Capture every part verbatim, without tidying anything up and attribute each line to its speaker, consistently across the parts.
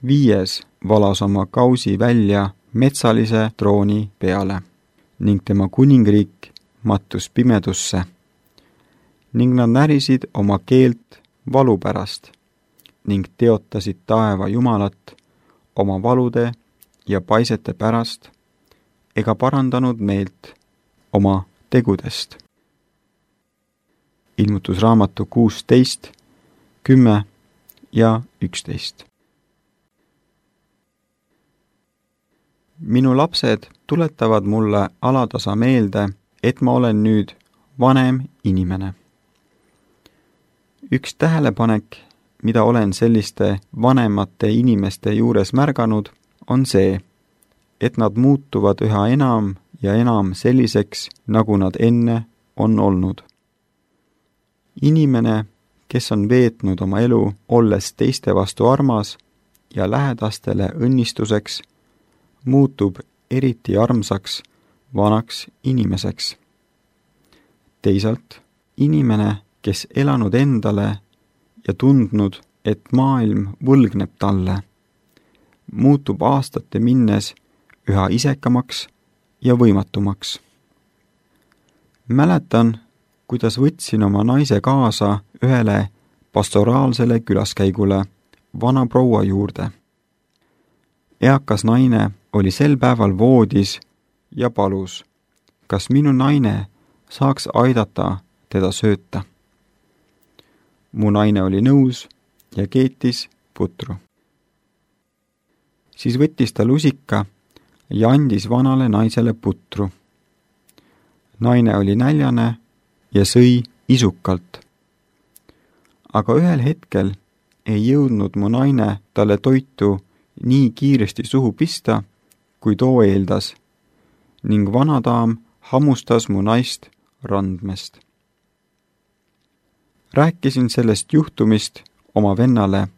Speaker 1: Viies valas oma kausi välja metsalise trooni peale ning tema kuningriik mattus pimedusse ning nad närisid oma keelt valu pärast ning teotasid taeva Jumalat oma valude ja paisete pärast ega parandanud meelt oma tegudest. Ilmutusraamatu kuusteist, kümme ja üksteist. Minu lapsed tuletavad mulle alatasa meelde, et ma olen nüüd vanem inimene. Üks tähelepanek, mida olen selliste vanemate inimeste juures märganud, on see, et nad muutuvad üha enam ja enam selliseks, nagu nad enne on olnud. Inimene, kes on veetnud oma elu, olles teiste vastu armas ja lähedastele õnnistuseks, muutub eriti armsaks vanaks inimeseks. Teisalt, inimene, kes elanud endale ja tundnud, et maailm võlgneb talle, muutub aastate minnes üha isekamaks ja võimatumaks. Mäletan, kuidas võtsin oma naise kaasa ühele pastoraalsele külaskäigule vana proua juurde. Eakas naine oli sel päeval voodis ja palus, kas minu naine saaks aidata teda sööta. Mu naine oli nõus ja keetis putru. Siis võttis ta lusika ja andis vanale naisele putru. Naine oli näljane ja sõi isukalt. Aga ühel hetkel ei jõudnud mu naine talle toitu nii kiiresti suhu pista, kui too eeldas, ning vanadaam hammustas mu naist randmest. Rääkisin sellest juhtumist oma vennale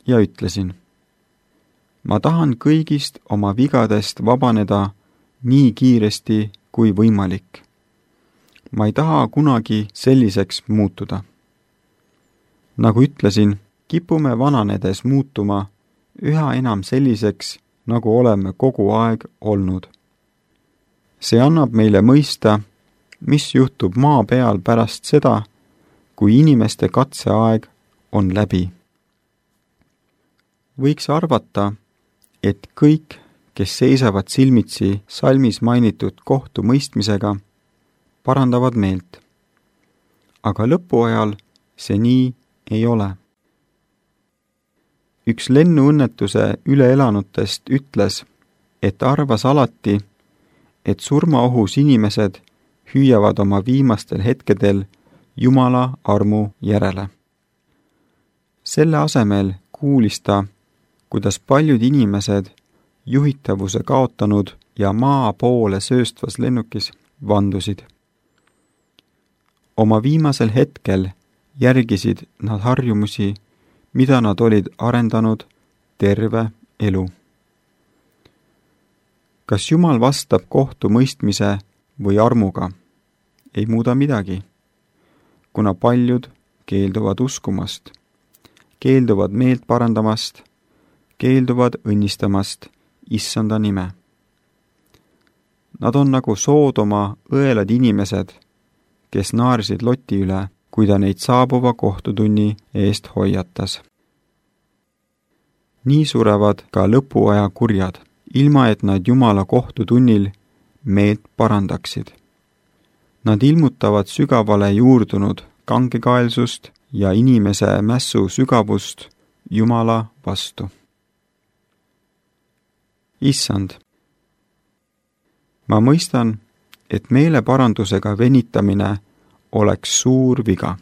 Speaker 1: ja ütlesin, ma tahan kõigist oma vigadest vabaneda nii kiiresti kui võimalik. Ma ei taha kunagi selliseks muutuda. Nagu ütlesin, kipume vananedes muutuma üha enam selliseks, nagu oleme kogu aeg olnud. See annab meile mõista, mis juhtub maa peal pärast seda, kui inimeste katseaeg on läbi. Võiks arvata, et kõik, kes seisavad silmitsi salmis mainitud kohtumõistmisega, parandavad meelt. Aga lõpuajal see nii ei ole. Üks lennuõnnetuse üleelanutest ütles, et arvas alati, et surmaohus inimesed hüüavad oma viimastel hetkedel Jumala armu järele. Selle asemel kuulis ta, kuidas paljud inimesed juhitavuse kaotanud ja maa poole sööstvas lennukis vandusid. Oma viimasel hetkel järgisid nad harjumusi, mida nad olid arendanud terve elu. Kas Jumal vastab kohtumõistmise või armuga? Ei muuda midagi, kuna paljud keelduvad uskumast, keelduvad meelt parandamast, keelduvad õnnistamast Issanda nime. Nad on nagu Soodoma õelad inimesed, kes naersid Loti üle, kui ta neid saabuva kohtutunni eest hoiatas. Nii surevad ka lõpuaja kurjad, ilma et nad Jumala kohtutunnil meelt parandaksid. Nad ilmutavad sügavale juurdunud kangekaelsust ja inimese mässu sügavust Jumala vastu. Issand, ma mõistan, et meeleparandusega venitamine oleks suur viga.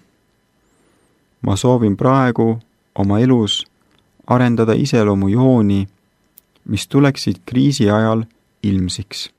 Speaker 1: Ma soovin praegu oma elus arendada iseloomujooni, mis tuleksid kriisi ajal ilmsiks.